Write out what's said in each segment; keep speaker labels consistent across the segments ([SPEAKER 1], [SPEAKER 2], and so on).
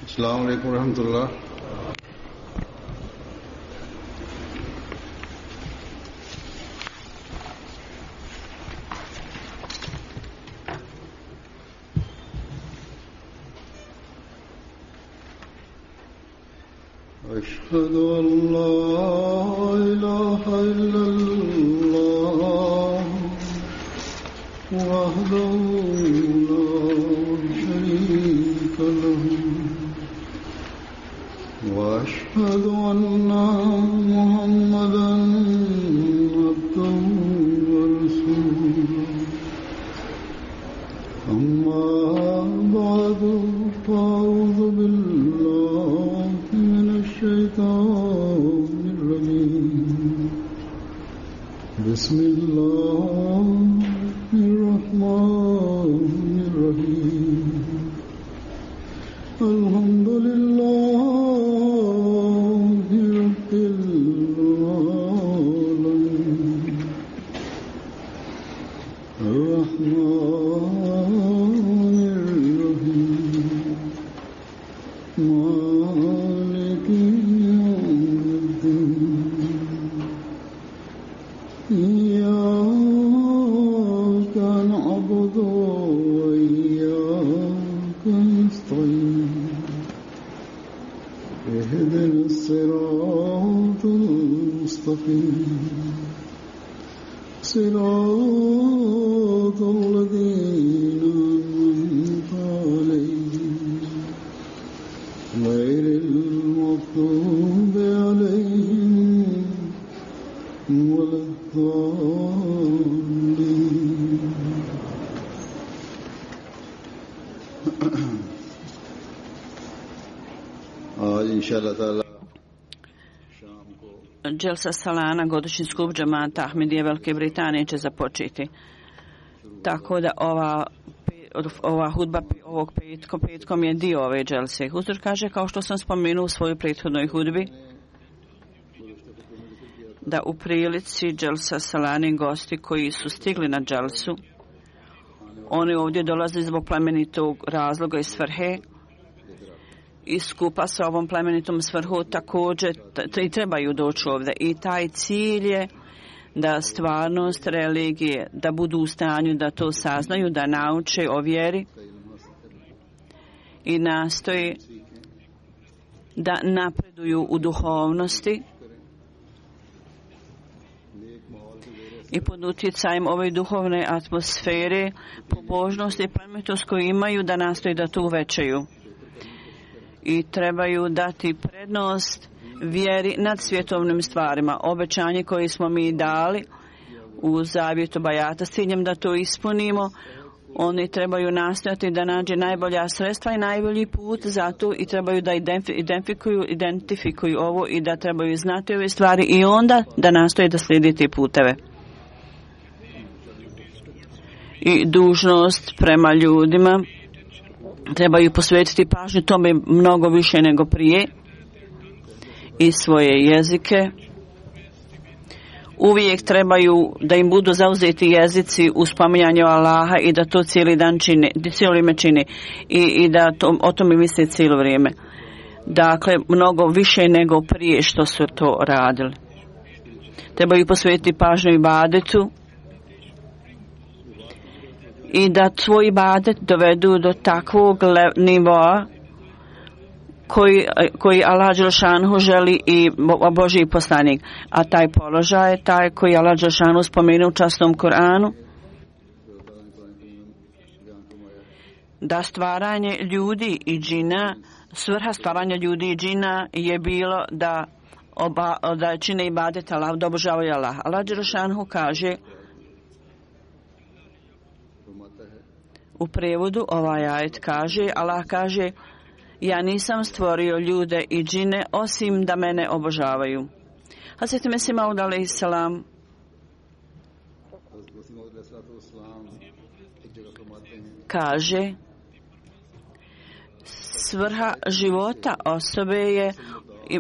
[SPEAKER 1] अस्सलाम वालेकुम रहमतुल्लाह। أشهد أن لا إله إلا الله وحده لا شريك له وأشهد أن محمدا عبده ورسوله أما بعد فأعوذ بالله من الشيطان الرجيم بسم الله الرحمن الرحيم الحمد لله رب العالمين الرحمن الرحيم مالك يوم الدين إياك نعبد وإياك نستعين اهدنا الصراط المستقيم صراط الذين أنعمت عليهم غير المغضوب عليهم ولا الضالين. आज इंशाअल्लाह ताला
[SPEAKER 2] Dželsa Salana, godišnji skup džamata Ahmedije Velike Britanije će započeti. Tako da ova hudba ovog petkom je dio ove dželse. Huzur kaže, kao što sam spomenuo u svojoj prethodnoj hudbi, da u prilici dželsa Salani gosti koji su stigli na dželsu, oni ovdje dolaze zbog plemenitog razloga i svrhe, i skupa sa ovom plemenitom svrhu također i trebaju doći ovdje. I taj cilj je da stvarnost religije, da budu u stanju da to saznaju, da nauče o vjeri i nastoji da napreduju u duhovnosti i pod utjecajem ove duhovne atmosfere, pobožnosti i plemenitost koju imaju, da nastoji da to uvećaju. I trebaju dati prednost vjeri nad svjetovnim stvarima. Obećanje koje smo mi dali u zavjetu Bajata s ciljem da to ispunimo, oni trebaju nastojati da nađe najbolja sredstva i najbolji put za to i trebaju da identifikuju ovo i da trebaju znati ove stvari i onda da nastoje da slijedi te puteve. I dužnost prema ljudima, trebaju posvetiti pažnju tome mnogo više nego prije i svoje jezike. Uvijek trebaju da im budu zauzeti jezici u spominjanju Allaha i da to cijeli dan čine, cijelo vrijeme čine i da o tome misle cijelo vrijeme. Dakle, mnogo više nego prije što su to radili. Trebaju posvetiti pažnju ibadetu i da svoj ibadet dovedu do takvog nivoa koji Allah dželešanu želi i Božji poslanik. A taj položaj je taj koji Allah dželešanu spomenuo u časnom Koranu, da stvaranje ljudi i džina, svrha stvaranja ljudi i džina je bilo da čine ibadet Allah, da obožavaju Allah. Allah dželešanu kaže u prevodu, ovaj ajet kaže, Allah kaže, ja nisam stvorio ljude i džine osim da mene obožavaju. Hazreti Mesih Maud alejhi selam kaže, svrha života osobe je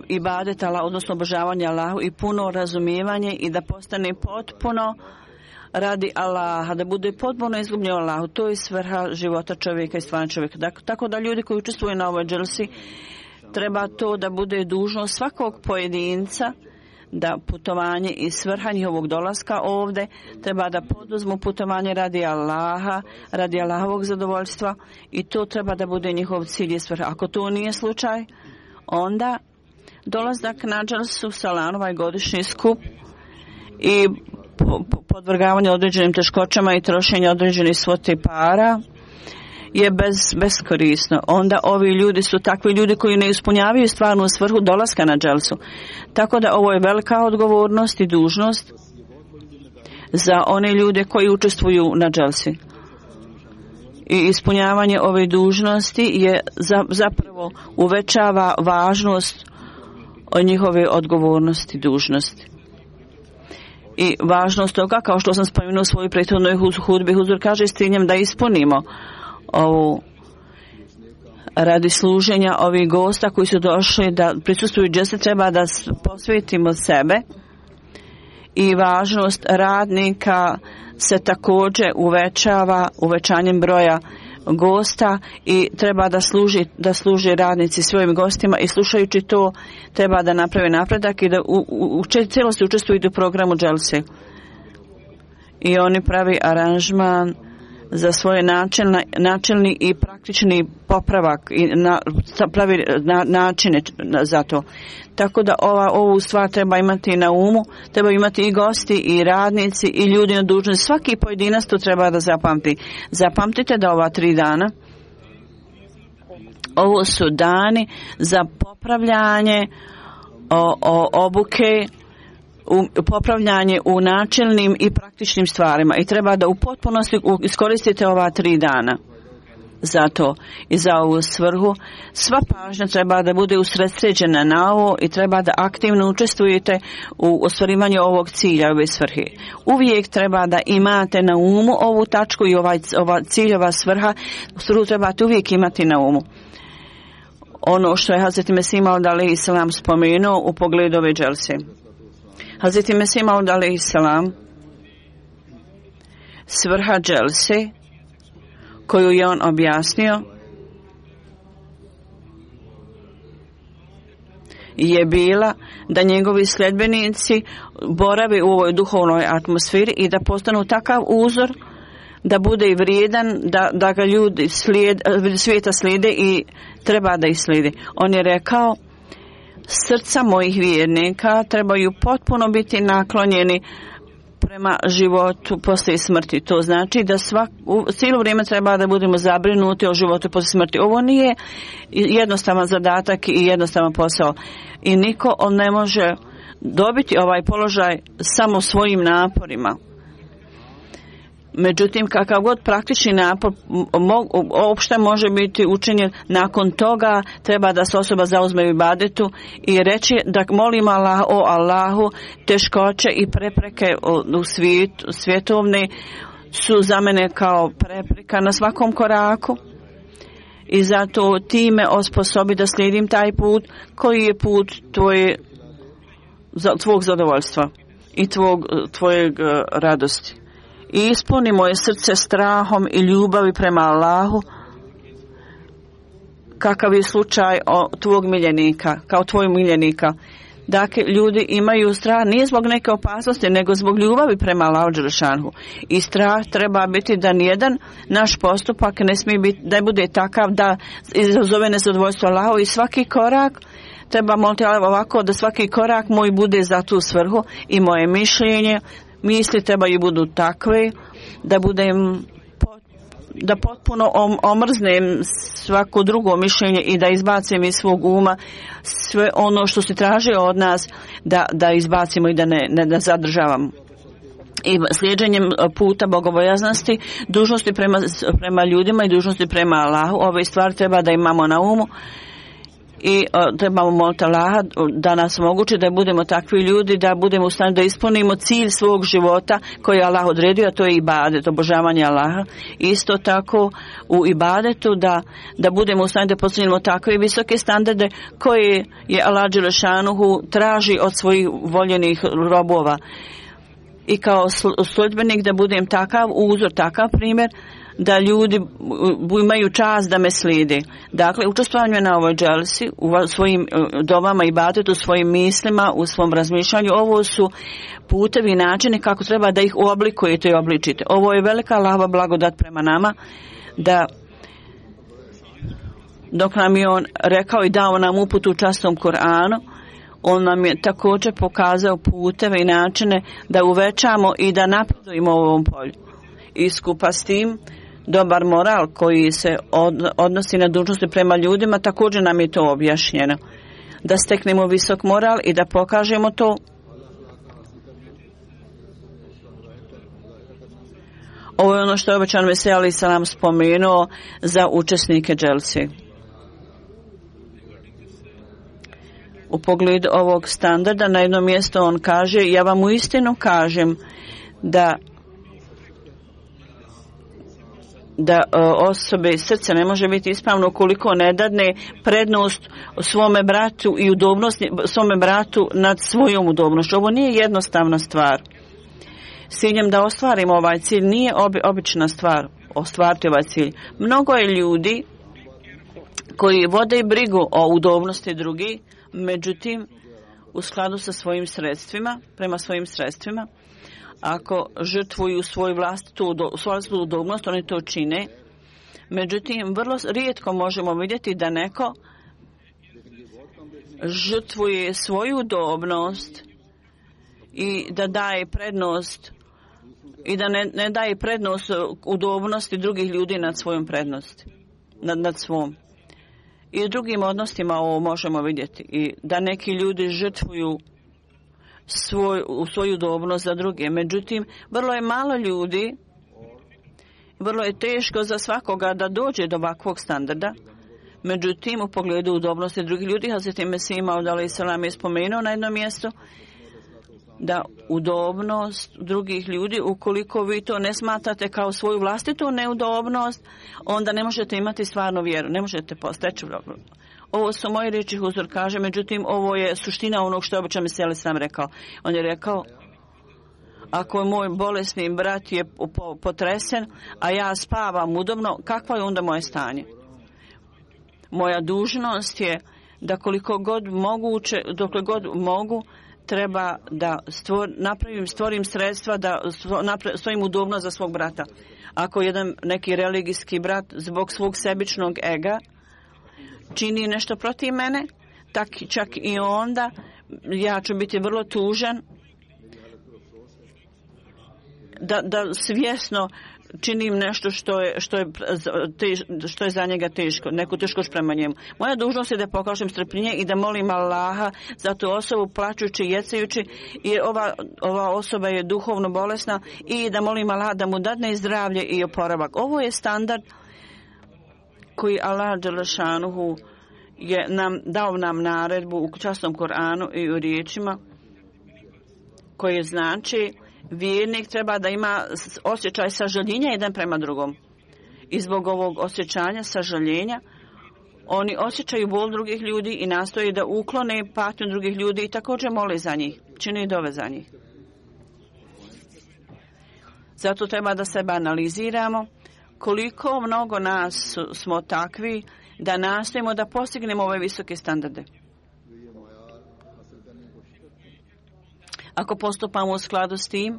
[SPEAKER 2] ibadet Allah, odnosno obožavanje Allahu i puno razumijevanje i da postane potpuno radi Allaha, da bude potpuno izgubljen Allahu. To je svrha života čovjeka i stvarnog čovjeka. Tako da ljudi koji učestvuju na ovoj dželsi, treba to da bude dužnost svakog pojedinca, da putovanje i svrha njihovog dolaska ovdje treba da poduzmu putovanje radi Allaha, radi Allahovog zadovoljstva, i to treba da bude njihov cilj i svrha. Ako to nije slučaj, onda dolazak na dželsu Salan, ovaj godišnji skup, i podvrgavanje određenim teškoćama i trošenje određenih svote para je beskorisno. Onda ovi ljudi su takvi ljudi koji ne ispunjavaju stvarnu svrhu dolaska na dželsu. Tako da ovo je velika odgovornost i dužnost za one ljude koji učestvuju na dželsi. I ispunjavanje ove dužnosti je zapravo uvećava važnost od njihove odgovornosti i dužnosti. I važnost toga, kao što sam spomenuo u svojoj prethodnoj hudbi, Huzur kaže s ciljem da ispunimo ovu radi služenja ovih gosta koji su došli da prisustvuju dželsi, treba da posvetimo sebe, i važnost radnika se također uvećava uvećanjem broja gosta, i treba da služi radnici svojim gostima, i slušajući to treba da naprave napredak i da u cijelosti učestvuju u programu dželse. I oni pravi aranžman za svoje načelni i praktični popravak i pravi načine za to. Tako da ovu stvar treba imati na umu, treba imati i gosti i radnici i ljudi na dužnosti. Svaki pojedinac to treba da zapamti. Zapamtite da ova 3 dana, ovo su dani za popravljanje obuke, popravljanje u načelnim i praktičnim stvarima, i treba da u potpunosti iskoristite ova 3 dana za to i za ovu svrhu. Sva pažnja treba da bude usredsređena na ovo i treba da aktivno učestvujete u ostvarivanju ovog cilja, ove svrhe. Uvijek treba da imate na umu ovu tačku i ova ciljova svrha trebate uvijek imati na umu. Ono što je Hazreti Mesih Maud alejhi selam spomenuo u pogledu ove dželse. Hazreti Mesih Maud alejhi selam, svrha dželse koju je on objasnio je bila da njegovi sljedbenici borave u ovoj duhovnoj atmosferi i da postanu takav uzor da bude i vrijedan, da ga ljudi svijeta slijede i treba da ih slijede. On je rekao, srca mojih vjernika trebaju potpuno biti naklonjeni prema životu poslije smrti. To znači da cijelo vrijeme treba da budemo zabrinuti o životu poslije smrti. Ovo nije jednostavan zadatak i jednostavan posao. I niko ne može dobiti ovaj položaj samo svojim naporima. Međutim, kakav god praktični napor uopšte može biti učinjen, nakon toga treba da se osoba zauzme u ibadetu i reći da molim Allah, o Allahu, teškoće i prepreke u svjetovne su za mene kao prepreka na svakom koraku, i zato ti me osposobi da slijedim taj put koji je put tvog zadovoljstva i tvojeg radosti. I ispuni moje srce strahom i ljubavi prema Allahu, kakav je slučaj tvog miljenika, kao tvoj miljenika. Dakle, ljudi imaju strah nije zbog neke opasnosti, nego zbog ljubavi prema Allahu dželešanu. I strah treba biti da nijedan naš postupak ne smije biti, da bude takav da izazove nezadovoljstvo Allahu, i svaki korak treba moliti ovako, da svaki korak moj bude za tu svrhu, i moje mišljenje, misli trebaju budu takve da potpuno omrznem svako drugo mišljenje i da izbacim iz svog uma sve ono što se traži od nas, da izbacimo i da ne zadržavamo. I slijeđenjem puta bogobojaznosti, dužnosti prema ljudima i dužnosti prema Allahu, ove stvari treba da imamo na umu. I trebamo moliti Allaha da nas omogući da budemo takvi ljudi, da budemo u stanju da ispunimo cilj svog života koji je Allah odredio, a to je ibadet, obožavanje Allaha. Isto tako u ibadetu da budemo u stanju da postignemo takve visoke standarde koje je Allah dželešanuhu traži od svojih voljenih robova. i kao sljedbenik da budem takav uzor, takav primjer da ljudi imaju čast da me slijede. Dakle, učestvovanje na ovoj dželsi, u svojim dovama i badetu, u svojim mislima, u svom razmišljanju, ovo su putevi i načini kako treba da ih oblikujete i obličite. Ovo je velika Allahova blagodat prema nama, da dok nam je on rekao i dao nam uputu u časnom Kur'anu, on nam je također pokazao puteve i načine da uvećamo i da napredujemo u ovom polju. I skupa s tim, dobar moral koji se odnosi na dužnosti prema ljudima, također nam je to objašnjeno. Da steknemo visok moral i da pokažemo to. Ovo je ono što je obećan Mesija alejhi selam spomenuo za učesnike dželsi. U pogledu ovog standarda na jednom mjestu on kaže: ja vam uistinu kažem da osobe srce ne može biti ispravno ukoliko ne dadne prednost svome bratu i udobnost svome bratu nad svojom udobnošću. Ovo nije jednostavna stvar. S ciljem da ostvarimo ovaj cilj nije obična stvar ostvariti ovaj cilj. Mnogo je ljudi koji vode brigu o udobnosti drugih, međutim u skladu sa svojim sredstvima, prema svojim sredstvima, ako žrtvuju svoju vlastitu udobnost, oni to čine. Međutim, vrlo rijetko možemo vidjeti da neko žrtvuje svoju udobnost i da daje prednost i da ne daje prednost udobnosti drugih ljudi nad svojom prednosti, nad svom. I u drugim odnosima ovo možemo vidjeti. I da neki ljudi žrtvuju svoju udobnost za druge. Međutim, vrlo je malo ljudi, vrlo je teško za svakoga da dođe do ovakvog standarda. Međutim, u pogledu udobnosti drugih ljudi, Hazreti Mesih Maud alejhi selam je spomenuo na jednom mjestu da udobnost drugih ljudi, ukoliko vi to ne smatrate kao svoju vlastitu neudobnost, onda ne možete imati stvarnu vjeru, ne možete posteći. Ovo su moje riječi, Huzur kaže, međutim ovo je suština onog što je obećan Mesija alejhi selam rekao. On je rekao: ako moj bolesni brat je potresen, a ja spavam udobno, kakvo je onda moje stanje? Moja dužnost je da koliko god moguće, dokle god mogu, treba da stvorim sredstva da stojim udobno za svog brata. Ako neki religijski brat zbog svog sebičnog ega čini nešto protiv mene, čak i onda ja ću biti vrlo tužan da svjesno činim nešto što je za njega teško, neku teškost prema njemu. Moja dužnost je da pokažem strpljenje i da molim Allaha za tu osobu plačući i jecajući, jer ova osoba je duhovno bolesna, i da molim Allaha da mu dadne zdravlje i oporavak. Ovo je standard koji Allah dželešanuhu je dao nam naredbu u časnom Koranu i u riječima koje znači vjernik treba da ima osjećaj sažaljenja jedan prema drugom. I zbog ovog osjećanja sažaljenja oni osjećaju bol drugih ljudi i nastoje da uklone patnju drugih ljudi i također mole za njih, čine dove za njih. Zato treba da sebe analiziramo koliko mnogo nas smo takvi da nastojimo da postignemo ove visoke standarde. Ako postupamo u skladu s tim,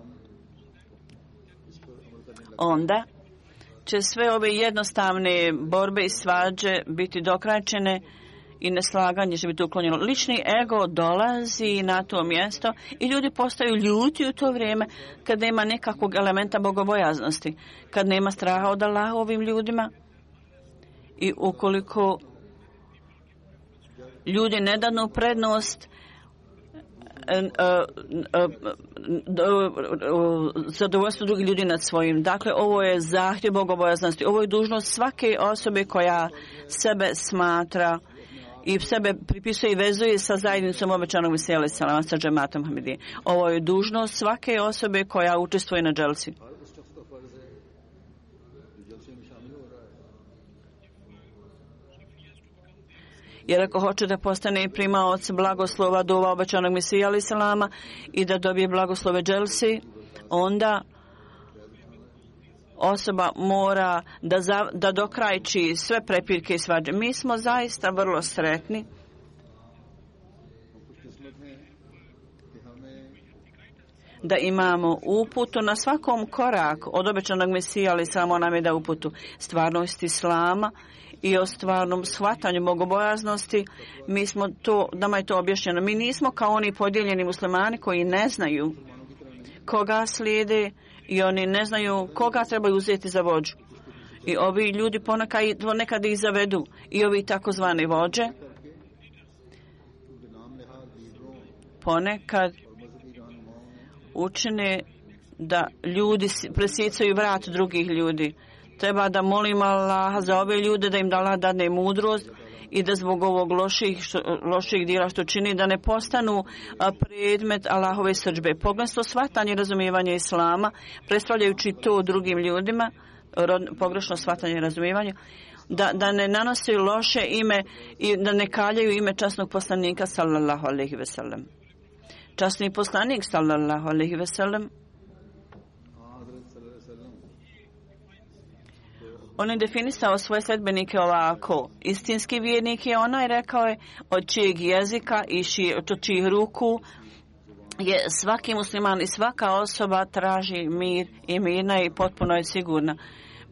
[SPEAKER 2] onda će sve ove jednostavne borbe i svađe biti dokrajčene i neslaganje će biti uklonjeno. Lični ego dolazi na to mjesto i ljudi postaju ljuti u to vrijeme kad nema nekakvog elementa bogobojaznosti, kad nema straha od Allaha ovim ljudima. I ukoliko ljudi ne danu prednost zadovoljstvo drugih ljudi nad svojim. Dakle, ovo je zahtjev bogobojaznosti. Ovo je dužnost svake osobe koja sebe smatra i sebe pripisuje i vezuje sa zajednicom obećanog Mesija alejhi selam, sa džematom Ahmedije. Ovo je dužnost svake osobe koja učestvuje na dželsi. Jer ako hoće da postane primaoc blagoslova dova obećanog Mesija alejhi selama i da dobije blagoslove dželsi, onda osoba mora da dokrajči sve prepirke i svađe. Mi smo zaista vrlo sretni da imamo uputu na svakom koraku od obećanog Mesija, ali samo nam je da uputu stvarnost Islama i o stvarnom shvatanju bogobojaznosti. Nama je to objašnjeno. Mi nismo kao oni podijeljeni muslimani koji ne znaju koga slijede i oni ne znaju koga trebaju uzeti za vođu. I ovi ljudi ponekad ih zavedu. I ovi takozvani vođe ponekad učine da ljudi presicaju vrat drugih ljudi. Treba da molimo Allaha za ove ljude da im Allah dadne mudrost i da zbog ovog loših djela što čini da ne postanu predmet Allahove srdžbe. Pogledno shvatanje i razumijevanje Islama, predstavljajući to drugim ljudima, pogrešno shvatanje i razumijevanje, da ne nanosi loše ime i da ne kaljaju ime časnog poslanika sallallahu alejhi ve sellem. Časni poslanik sallallahu alejhi ve sellem on je definisao svoje sledbenike ovako. Istinski vjernik je onaj, rekao je, od čijeg jezika i od čijih ruku je svaki musliman i svaka osoba traži mir i mirna i potpuno je sigurna,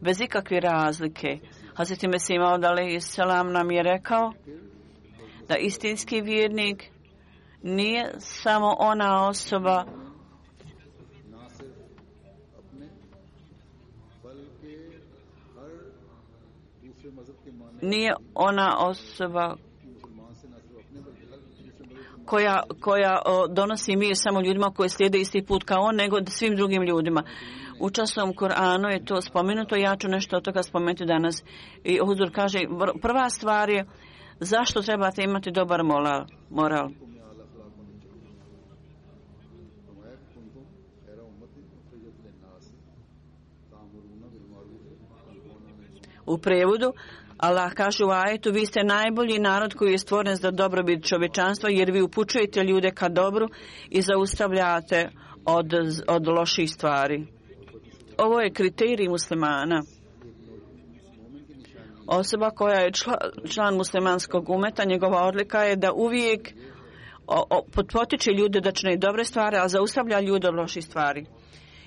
[SPEAKER 2] bez ikakve razlike. Hazreti Mesih Maud alejhi selam nam je rekao da istinski vjernik nije samo ona osoba koja donosi mir samo ljudima koji slijede isti put kao on, nego svim drugim ljudima. U časnom Koranu je to spomenuto, ja ću nešto od toga spomenuti danas. I Huzur kaže, prva stvar je zašto trebate imati dobar moral. U prevodu, Allah kaže u ajetu, vi ste najbolji narod koji je stvoren za dobrobit čovječanstva, jer vi upućujete ljude ka dobru i zaustavljate od loših stvari. Ovo je kriterij muslimana. Osoba koja je član muslimanskog umeta, njegova odlika je da uvijek potiče ljude da čine dobre stvari, a zaustavlja ljude od loših stvari.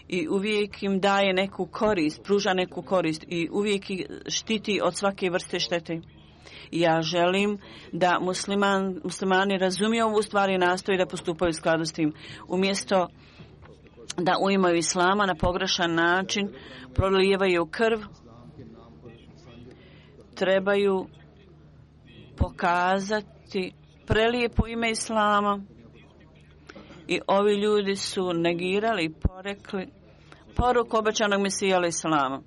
[SPEAKER 2] I uvijek im daje neku korist, pruža neku korist i uvijek ih štiti od svake vrste štete. Ja želim da muslimani razumiju ovu stvar i nastoji da postupaju u skladu s tim. Umjesto da uimaju Islama na pogrešan način, prolijevaju krv, trebaju pokazati prelijepo ime Islama. I ovi ljudi su negirali i porekli poruku obećanog Mesija alejhi selama.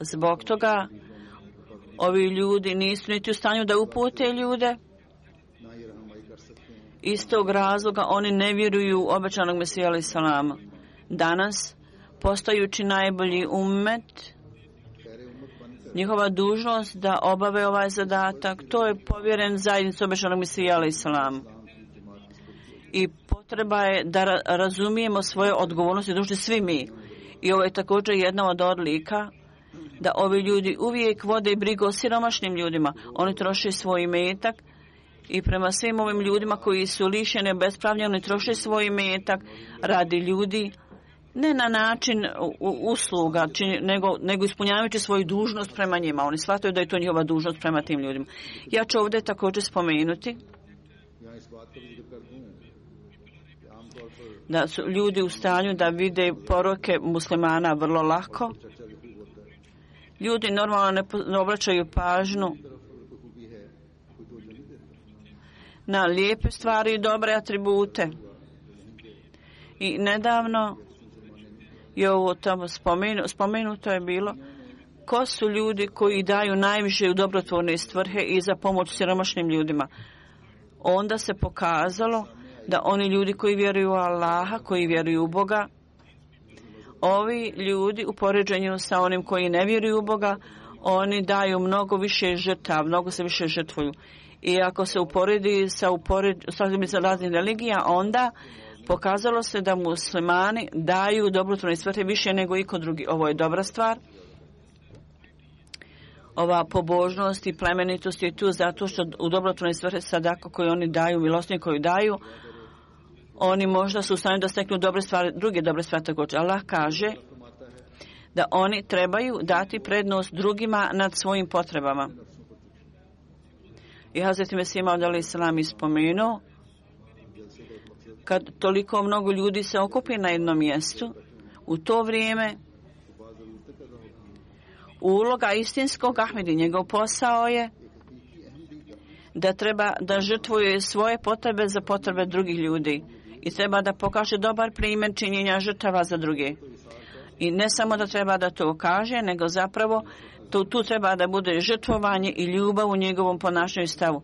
[SPEAKER 2] Zbog toga ovi ljudi nisu niti u stanju da upute ljude. Iz tog razloga oni ne vjeruju u obećanog Mesija alejhi selama. Danas, postajući najbolji ummet, njihova dužnost da obave ovaj zadatak, to je povjeren zajednici obećanog Mesija alejhi selama. I potreba je da razumijemo svoje odgovornosti, dužni svi mi. I ovo je također jedna od odlika da ovi ljudi uvijek vode brigu o siromašnim ljudima. Oni troše svoj imetak i prema svim ovim ljudima koji su lišeni obespravljeni, oni troše svoj imetak radi ljudi, ne na način usluga, nego ispunjavajući svoju dužnost prema njima. Oni shvataju da je to njihova dužnost prema tim ljudima. Ja ću ovdje također spomenuti da su ljudi u stanju da vide poruke muslimana vrlo lako. Ljudi normalno ne obraćaju pažnju na lijepe stvari i dobre atribute. I nedavno je ovo tamo spomenuto je bilo ko su ljudi koji daju najviše u dobrotvorne svrhe i za pomoć siromašnim ljudima. Onda se pokazalo da oni ljudi koji vjeruju u Allaha, koji vjeruju u Boga, ovi ljudi u poređenju sa onim koji ne vjeruju u Boga, oni daju mnogo više žrtava, mnogo se više žrtvuju. I ako se uporedi sa raznih religija, onda Pokazalo se da muslimani daju dobrotvorne svrhe više nego iko drugi. Ovo je dobra stvar. Ova pobožnost i plemenitost je tu zato što u dobrotvorne svrhe sadaka koju oni daju, milostinje koju daju, oni možda su u stanju da steknu dobre stvari, druge dobre stvari također. Allah kaže da oni trebaju dati prednost drugima nad svojim potrebama. I Hazreti Mesih Maud alejhi selam ispomenuo, kad toliko mnogo ljudi se okupi na jednom mjestu, u to vrijeme uloga istinskog Ahmedi, njegov posao je da treba da žrtvuje svoje potrebe za potrebe drugih ljudi i treba da pokaže dobar primjer činjenja žrtava za druge. I ne samo da treba da to kaže, nego zapravo tu treba da bude žrtvovanje i ljubav u njegovom ponašanju i stavu.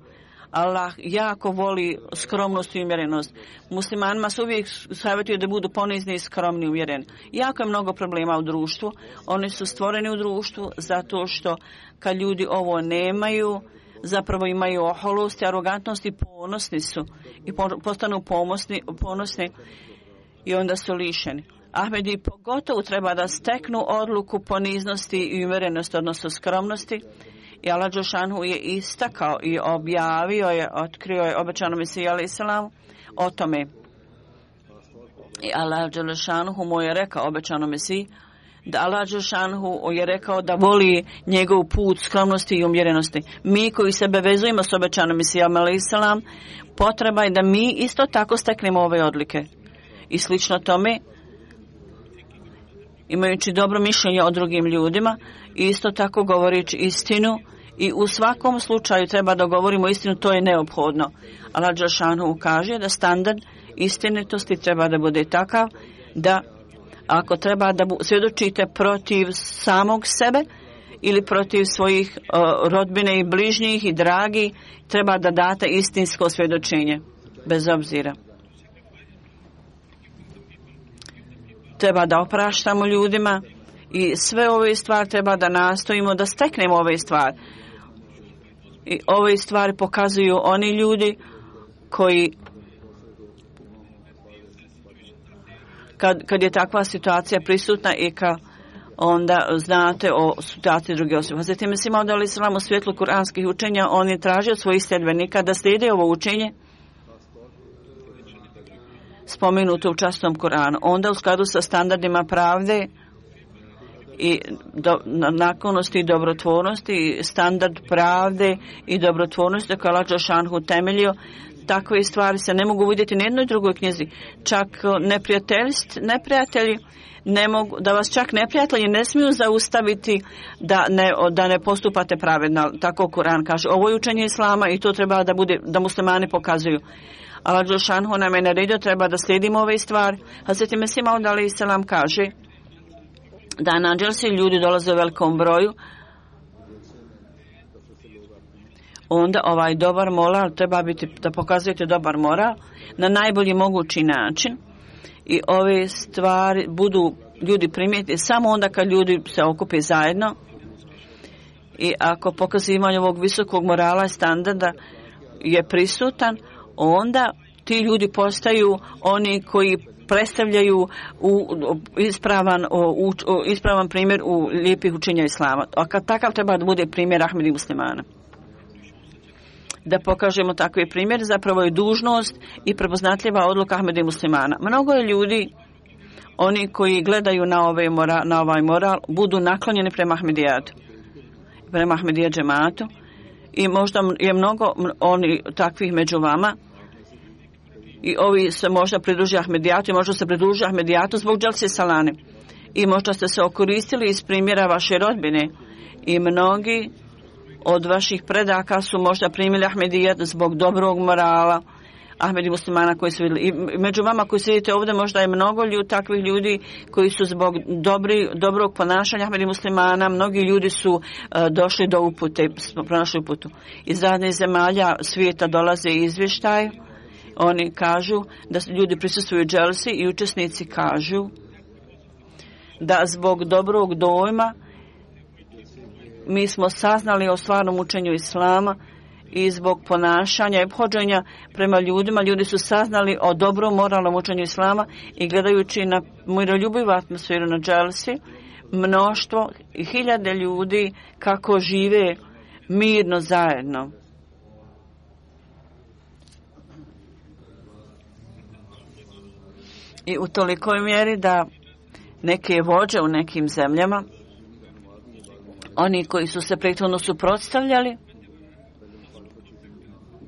[SPEAKER 2] Allah jako voli skromnost i umjerenost. Muslimanima se uvijek savjetuju da budu ponizni i skromni i umjereni. Jako je mnogo problema u društvu. Oni su stvoreni u društvu zato što kad ljudi ovo nemaju, zapravo imaju oholost i arogantnost i ponosni su. I postanu ponosni i onda su lišeni. Ahmedi pogotovo treba da steknu odluku poniznosti i umjerenosti, odnosno skromnosti. I Allah dželešanu je istakao i objavio je, otkrio je obećanom Mesiji alejhi selam o tome. I Allah dželešanu mu je rekao obećanom Mesiji da Allah dželešanu je rekao da voli njegov put skromnosti i umjerenosti. Mi koji sebe vezujemo s obećanom Mesijom alejhi selam, potreba je da mi isto tako steknemo ove odlike. I slično tome, imajući dobro mišljenje o drugim ljudima, isto tako govorići istinu i u svakom slučaju treba da govorimo istinu, to je neophodno. Allah dželešanu kaže da standard istinitosti treba da bude takav da ako treba da svjedočite protiv samog sebe ili protiv svojih rodbine i bližnjih i dragi, treba da date istinsko svjedočenje, bez obzira. Treba da opraštamo ljudima i sve ove stvari treba da nastojimo da steknemo ove stvari. I ove stvari pokazuju oni ljudi koji kad je takva situacija prisutna i onda znate o situaciji druge osobe. Hazreti Mesih Maud alejhi selam u svjetlu kuranskih učenja, on je tražio od svojih sljedbenika da slijede ovo učenje spomenuto u časnom Kuranu. Onda u skladu sa standardima pravde i naklonosti i dobrotvornosti, standard pravde i dobrotvornosti koje Allah dželešanu temeljio, takve stvari se ne mogu vidjeti na jednoj drugoj knjizi. Čak neprijatelji ne mogu, da vas čak neprijatelji ne smiju zaustaviti da ne postupate pravedno. Tako Kuran kaže. Ovo je učenje Islama i to treba da bude, da muslimani pokazuju. Allah dželešanu nam je naredio, treba da slijedimo ove stvari. Hazreti Mesih Maud alejhi selam kaže da na dželsi ljudi dolaze u velikom broju, onda ovaj dobar moral treba biti da pokazujete dobar moral na najbolji mogući način i ove stvari budu ljudi primijeti samo onda kad ljudi se okupe zajedno i ako pokazivanje ovog visokog morala i standarda je prisutan, onda ti ljudi postaju oni koji predstavljaju ispravan primjer u lijepih učenja Islama. A kad takav treba da bude primjer Ahmedi muslimana. Da pokažemo takve primjer, zapravo je dužnost i prepoznatljiva odluka Ahmedi muslimana. Mnogo je ljudi, oni koji gledaju na ovaj moral, budu naklonjeni prema Ahmedijatu, prema Ahmedija džematu i možda je mnogo oni takvih među vama i ovi se možda pridruži Ahmedijatu i možda se pridruži Ahmedijatu zbog dželse salane i možda ste se okoristili iz primjera vaše rodbine i mnogi od vaših predaka su možda primili Ahmedijat zbog dobrog morala Ahmedi muslimana koji su vidjeli. I među vama koji sedite ovdje možda je mnogo takvih ljudi koji su zbog dobrog ponašanja Ahmedi muslimana, mnogi ljudi su došli do upute, pronašli uputu. Iz raznih zemalja svijeta dolaze izvještaj. Oni kažu da ljudi prisustvuju dželsi i učesnici kažu da zbog dobrog dojma mi smo saznali o stvarnom učenju Islama i zbog ponašanja i ophođenja prema ljudima, ljudi su saznali o dobrom moralnom učenju islama i gledajući na miroljubivu atmosferu na dželsi, mnoštvo i hiljade ljudi kako žive mirno zajedno. I u tolikoj mjeri da neke vođe u nekim zemljama, oni koji su se prethodno suprotstavljali,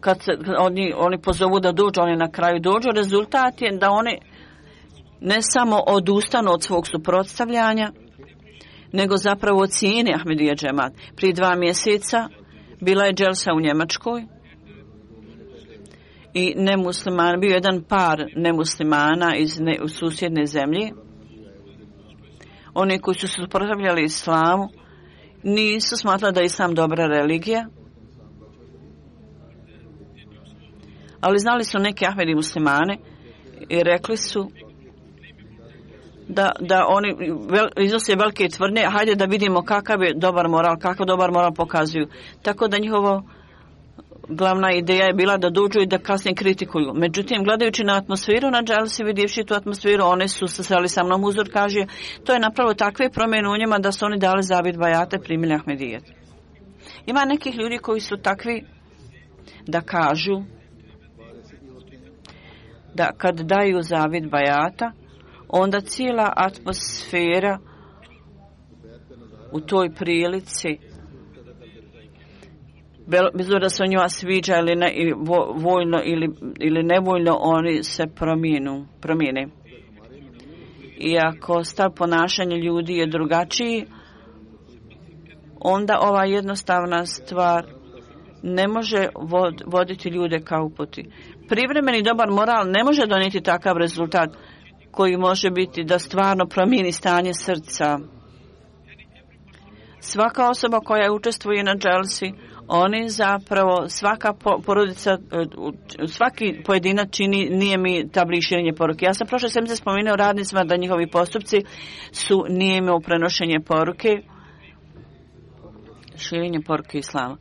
[SPEAKER 2] kad se oni pozovu da dođu, oni na kraju dođu, rezultat je da oni ne samo odustanu od svog suprotstavljanja, nego zapravo cijene Ahmedija džemat. Prije 2 mjeseca bila je dželsa u Njemačkoj i nemusliman, bio jedan par nemuslimana iz susjedne zemlje. Oni koji su se suprotstavljali islamu nisu smatrali da je islam dobra religija, ali znali su neke Ahmedi muslimane i rekli su da oni iznose velike tvrdnje, hajde da vidimo kakav je dobar moral, kakav dobar moral pokazuju. Tako da njihova glavna ideja je bila da dođu i da kasnije kritikuju. Međutim, gledajući na atmosferu na dželsi, vidjevši tu atmosferu, oni su se sreli sa mnom, uzor kaže, to je napravilo takve promjene u njima da su oni dali zavid bajate, primili Ahmedijet. Ima nekih ljudi koji su takvi da kažu da kad daju zavid bajata, onda cijela atmosfera u toj prilici, bez obzira da se o njima sviđa ili ne, ili voljno ili nevoljno, oni se promijene. I ako stav ponašanja ljudi je drugačiji, onda ova jednostavna stvar ne može voditi ljude ka uputi. Privremeni dobar moral ne može donijeti takav rezultat koji može biti da stvarno promijeni stanje srca. Svaka osoba koja učestvuje na dželsi, oni zapravo, svaka porodica, svaki pojedinac čini, nije mi tabli širenje poruke. Ja sam prošle sedmice spomenuo radnicima da njihovi postupci su nijeme prenošenje poruke, širenje poruke islama.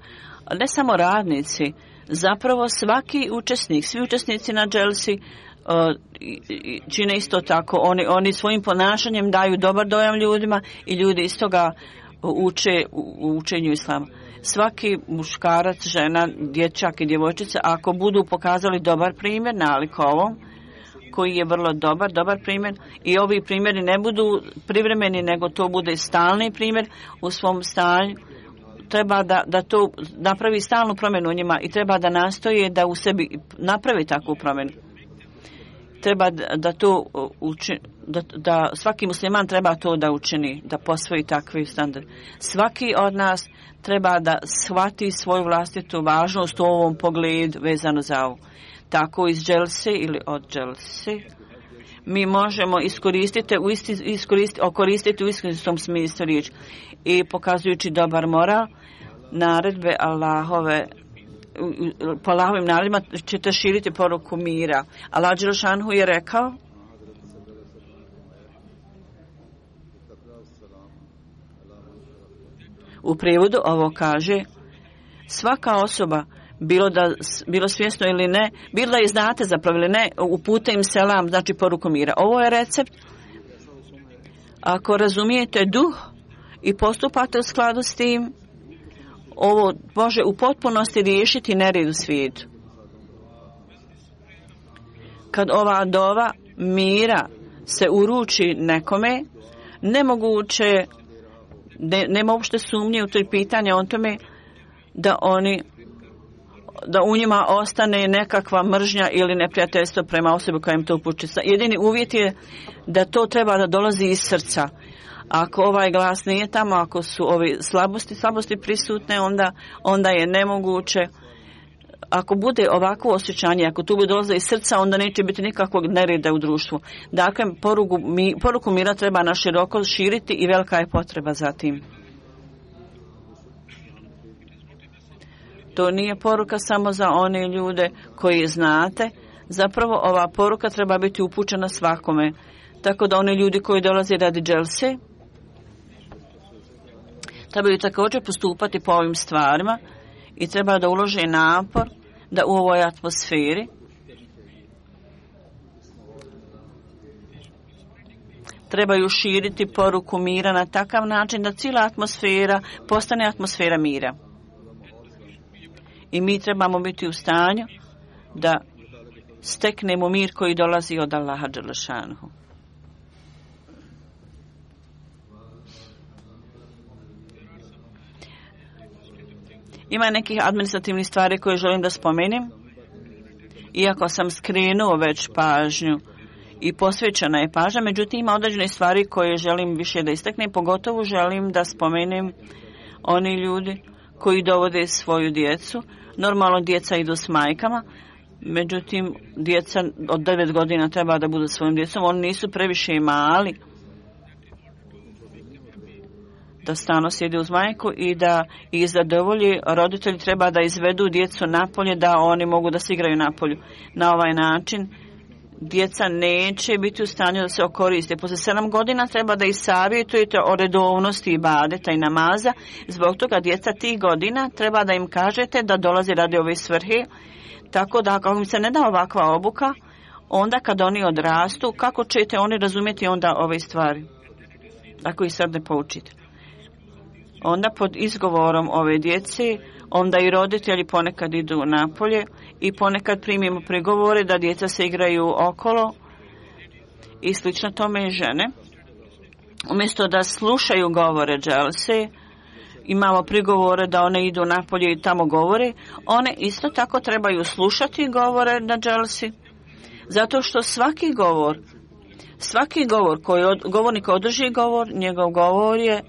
[SPEAKER 2] Ne samo radnici, zapravo svaki učesnik, svi učesnici na dželsi čine isto tako. Oni svojim ponašanjem daju dobar dojam ljudima i ljudi iz toga uče u učenju islama. Svaki muškarac, žena, dječak i djevojčica, ako budu pokazali dobar primjer nalik ovom, koji je vrlo dobar primjer, i ovi primjeri ne budu privremeni, nego to bude stalni primjer u svom stanju, treba da to napravi stalnu promjenu u njima i treba da nastoje da u sebi napravi takvu promjenu. Treba da to da svaki musliman treba to da učini, da posvoji takvi standard. Svaki od nas treba da shvati svoju vlastitu važnost u ovom pogledu vezano za ovo. Tako iz dželse ili od dželse mi možemo koristiti u istinskom smislu riječi i pokazujući dobar moral, naredbe Allahove, po Allahovim naredbama ćete širiti poruku mira. Allah Đelšanhu je rekao, u prijevodu ovo kaže, svaka osoba, bilo svjesno ili ne, bilo da je znate zapravo ili ne, upute im selam, znači poruku mira. Ovo je recept. Ako razumijete duh i postupate u skladu s tim, ovo može u potpunosti riješiti nered u svijetu. Kad ova dova mira se uruči nekome, nemoguće, nema uopšte sumnje u toj pitanje o tome da u njima ostane nekakva mržnja ili neprijateljstvo prema osobi koja im to upućuje. Jedini uvjet je da to treba da dolazi iz srca. Ako ovaj glas nije tamo, ako su ove slabosti prisutne, onda je nemoguće. Ako bude ovakvo osjećanje, ako tu bude dolaze iz srca, onda neće biti nikakvog nereda u društvu. Dakle, poruku mira treba na široko širiti i velika je potreba za tim. To nije poruka samo za one ljude koji znate. Zapravo ova poruka treba biti upućena svakome. Tako da oni ljudi koji dolaze radi dželse trebaju također postupati po ovim stvarima i treba da ulože napor da u ovoj atmosferi trebaju širiti poruku mira na takav način da cijela atmosfera postane atmosfera mira. I mi trebamo biti u stanju da steknemo mir koji dolazi od Allaha dželešanuhu. Ima nekih administrativnih stvari koje želim da spomenem. Iako sam skrenuo već pažnju i posvećena je pažnja, međutim ima određene stvari koje želim više da istaknem. Pogotovo želim da spomenem oni ljudi koji dovode svoju djecu. Normalno djeca idu s majkama, međutim djeca od 9 godina treba da budu svojim djecom. Oni nisu previše mali da stalno sjede uz majku i da ih zadovolji. Roditelji treba da izvedu djecu napolje, da oni mogu da se igraju napolju. Na ovaj način djeca neće biti u stanju da se okoriste. Poslije 7 godina treba da ih savjetujete o redovnosti ibadeta i namaza. Zbog toga djeca tih godina treba da im kažete da dolazi radi ove svrhe. Tako da ako im se ne da ovakva obuka, onda kad oni odrastu, kako ćete oni razumjeti onda ove stvari? Ako ih sad ne poučite. Onda pod izgovorom ove djece, onda i roditelji ponekad idu napolje i ponekad primimo prigovore da djeca se igraju okolo i slično tome i žene. Umjesto da slušaju govore dželse, imamo prigovore da one idu napolje i tamo govore, one isto tako trebaju slušati govore na dželsi, zato što svaki govor koji govornik održi govor, njegov govor je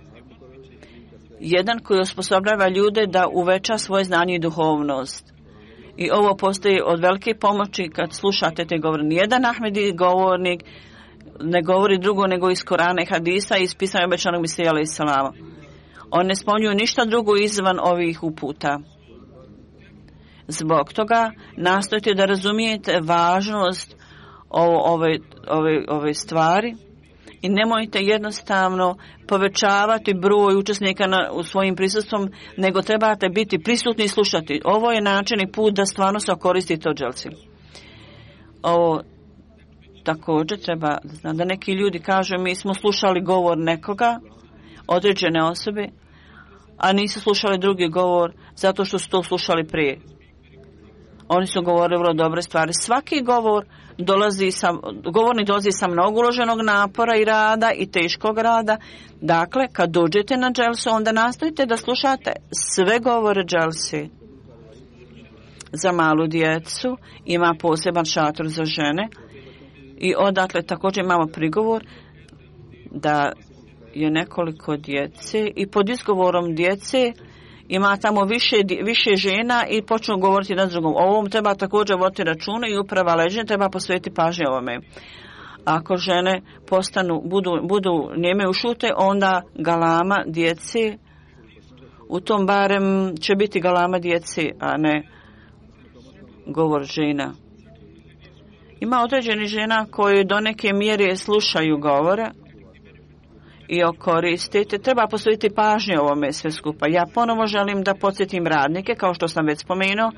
[SPEAKER 2] jedan koji osposobljava ljude da uveća svoje znanje i duhovnost. I ovo postoji od velike pomoći kad slušate te govore. Nijedan Ahmedi govornik ne govori drugo nego iz Korana i Hadisa i iz pisanja obećanog Mesija alejhi selama. On ne spominju ništa drugo izvan ovih uputa. Zbog toga nastojte da razumijete važnost ove stvari i nemojte jednostavno povećavati broj učesnika u svojim prisustvom, nego trebate biti prisutni i slušati. Ovo je način i put da stvarno se okoristite od dželsi. Ovo također treba da neki ljudi kažu mi smo slušali govor nekoga, određene osobe, a nisu slušali drugi govor zato što su to slušali prije. Oni su govorili vrlo dobre stvari. Svaki govornik dolazi sa mnogo uloženog napora i rada i teškog rada. Dakle, kad dođete na dželsu, onda nastojite da slušate sve govore dželsi. Za malu djecu ima poseban šator za žene i odatle također imamo prigovor da je nekoliko djece i pod izgovorom djece ima tamo više žena i počnu govoriti jedan s drugom. O ovom treba također voditi računa i uprava leđenja treba posvetiti pažnje ovome. Ako žene budu njeme ušute, onda galama djece, u tom barem će biti galama djece, a ne govor žena. Ima određeni žena koji do neke mjere slušaju govore i koristite. Treba posvetiti pažnje ovome sve skupa. Ja ponovo želim da podsjetim radnike, kao što sam već spomenuo,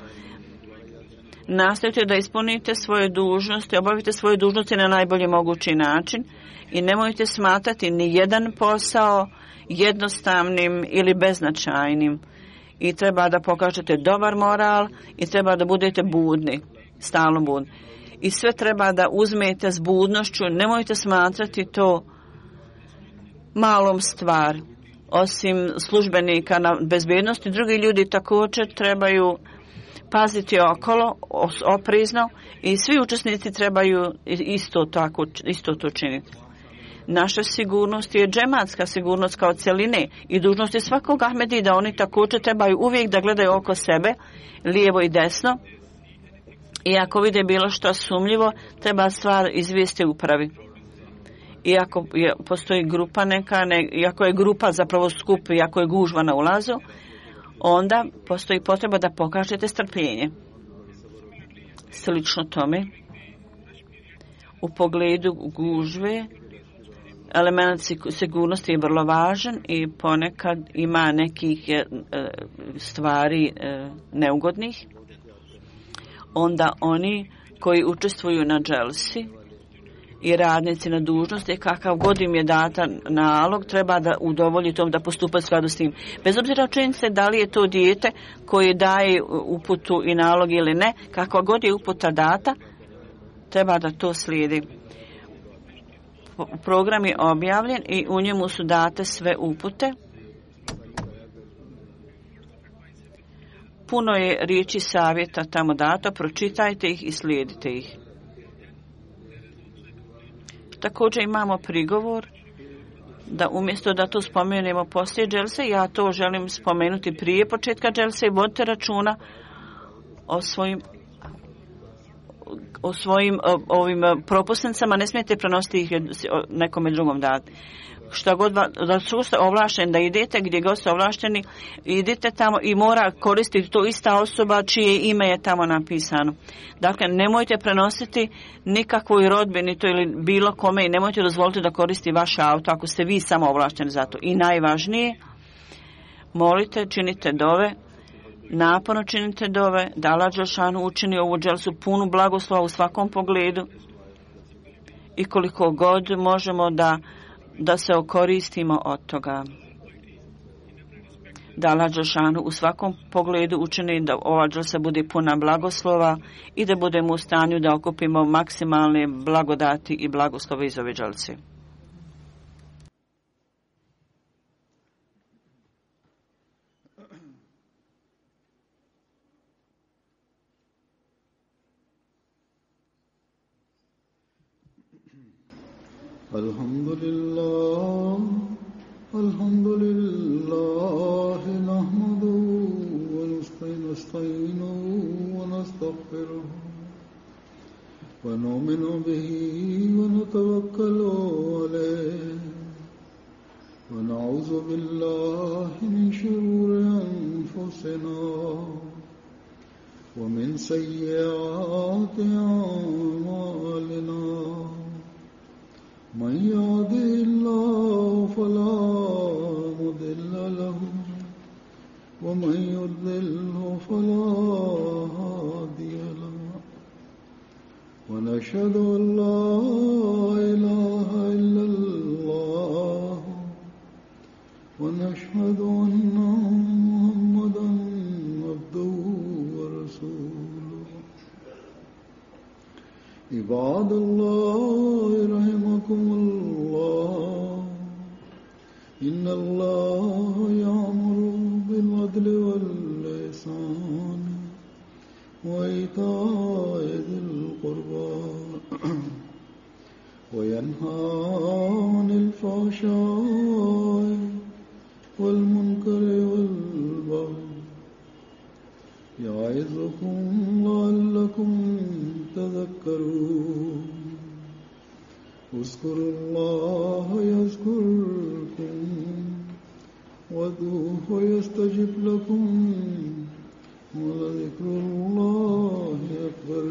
[SPEAKER 2] nastojte da ispunite svoje dužnosti, obavite svoje dužnosti na najbolji mogući način i nemojte smatrati ni jedan posao jednostavnim ili beznačajnim. I treba da pokažete dobar moral i treba da budete budni, stalno budni. I sve treba da uzmete s budnošću, nemojte smatrati to malom stvar. Osim službenika na bezbednosti, drugi ljudi također trebaju paziti okolo, oprezno i svi učesnici trebaju isto to činiti. Naša sigurnost je džematska sigurnost kao cjeline i dužnost je svakog Ahmedi da oni također trebaju uvijek da gledaju oko sebe, lijevo i desno. I ako vide bilo što sumnjivo, treba stvar izvijesti upravi. Iako postoji grupa iako je grupa zapravo skup, iako je gužva na ulazu, onda postoji potreba da pokažete strpljenje. Slično tome, u pogledu gužve, Element sigurnosti je vrlo važan i ponekad ima nekih stvari neugodnih. Onda oni koji učestvuju na dželsi i radnici na dužnosti, kakav god im je data nalog, treba da udovolji tom da postupa u skladu s tim. Bez obzira činjenice da li je to dijete koje daje uputu i nalog ili ne, kakva god je uputa data, treba da to slijedi. Program je objavljen i u njemu su date sve upute. Puno je riječi savjeta tamo dato, pročitajte ih i slijedite ih. Također imamo prigovor da umjesto da to spomenemo poslije dželse, ja to želim spomenuti prije početka dželse i vodite računa o svojim ovim propusnicama, ne smijete prenositi ih nekome drugom dati. Šta god da su ovlašteni da idete, gdje god su ovlašteni, idite tamo i mora koristiti to ista osoba čije ime je tamo napisano. Dakle, nemojte prenositi nikakvoj rodbini to ili bilo kome i nemojte dozvoliti da koristi vaše auto ako ste vi samo ovlašteni za to. I najvažnije, molite, činite dove, naporno činite dove, da Allah dželešanu učini ovu dželsu punu blagoslova u svakom pogledu i koliko god možemo da se okoristimo od toga. Da Allah dželešanu u svakom pogledu učini da ova dželsa bude puna blagoslova i da budemo u stanju da okupimo maksimalne blagodati i blagoslove iz ove dželse.
[SPEAKER 1] الحمد لله نحمده ونستعينه ونستغفره ونؤمن به ونتوكل عليه ونعوذ بالله من شرور أنفسنا ومن سيئات أعمالنا من يهده الله فلا مضل له ومن يضلل فلا هادي له ونشهد أن لا إله إلا الله ونشهد أن محمدا عبده ورسوله عباد الله رحمكم الله إن الله يأمر بالعدل والإحسان وإيتاء ذي القربى وينهى عن الفحشاء والمنكر والبغي يعظكم لعلكم تذكرون اذكروا الله يذكركم وادعوه يستجب لكم ولذكر الله أكبر